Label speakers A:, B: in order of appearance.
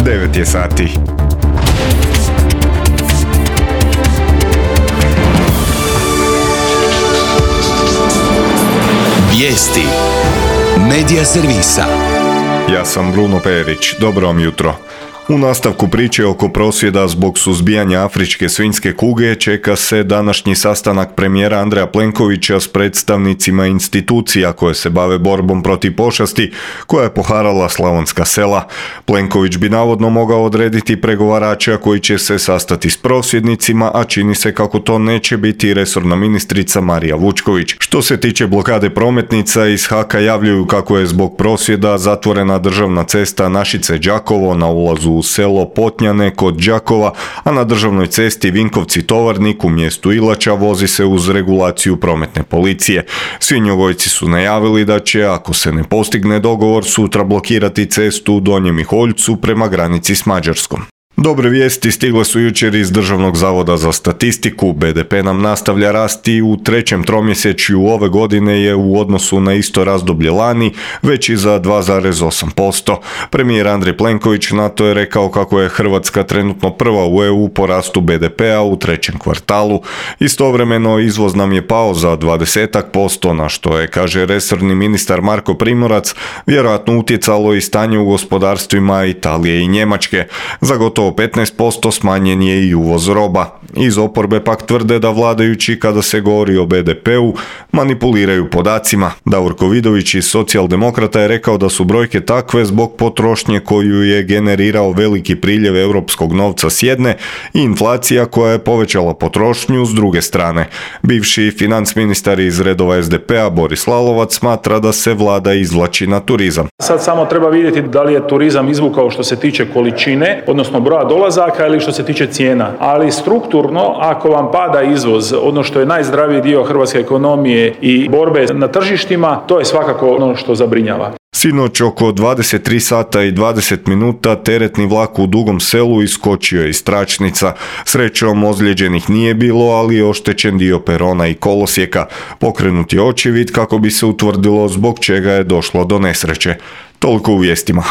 A: 9 je sati.
B: Vijesti Medija servisa.
A: Ja sam Bruno Perić, dobro vam jutro. U nastavku priče oko prosvjeda zbog suzbijanja afričke svinjske kuge čeka se današnji sastanak premijera Andreja Plenkovića s predstavnicima institucija koje se bave borbom protiv pošasti koja je poharala slavonska sela. Plenković bi navodno mogao odrediti pregovarača koji će se sastati s prosvjednicima, a čini se kako to neće biti resorna ministrica Marija Vučković. Što se tiče blokade prometnica, iz HAK-a javljaju kako je zbog prosvjeda zatvorena državna cesta Našice-Đakovo na ulazu u selo Potnjane kod Đakova, a na državnoj cesti Vinkovci-Tovarnik u mjestu Ilača vozi se uz regulaciju prometne policije. Svinjogojci su najavili da će, ako se ne postigne dogovor, sutra blokirati cestu u Donjem Miholjcu prema granici s Mađarskom. Dobre vijesti stigle su jučer iz Državnog zavoda za statistiku. BDP nam nastavlja rasti u trećem tromjesečju ove godine je u odnosu na isto razdoblje lani veći za 2,8%. Premijer Andrej Plenković na to je rekao kako je Hrvatska trenutno prva u EU po rastu BDP-a u trećem kvartalu. Istovremeno izvoz nam je pao za 20%, na što je, kaže resorni ministar Marko Primorac, vjerojatno utjecalo i stanje u gospodarstvima Italije i Njemačke. Za gotovo 15% smanjen je i uvoz roba. Iz oporbe pak tvrde da vladajući, kada se govori o BDP-u, manipuliraju podacima. Davorko Vidović iz Socijaldemokrata je rekao da su brojke takve zbog potrošnje koju je generirao veliki priljev europskog novca s jedne i inflacija koja je povećala potrošnju s druge strane. Bivši finansministar iz redova SDP-a Boris Lalovac smatra da se vlada izvlači na turizam.
C: Sad samo treba vidjeti da li je turizam izvukao što se tiče količine, odnosno broja dolazaka ili što se tiče cijena. Ali strukturno, ako vam pada izvoz, ono što je najzdraviji dio hrvatske ekonomije i borbe na tržištima, to je svakako ono što zabrinjava.
A: Sinoć oko 23 sata i 20 minuta teretni vlak u Dugom Selu iskočio je iz tračnica. Srećom ozlijeđenih nije bilo, ali je oštećen dio perona i kolosijeka. Pokrenut je očevid kako bi se utvrdilo zbog čega je došlo do nesreće. Toliko u vijestima.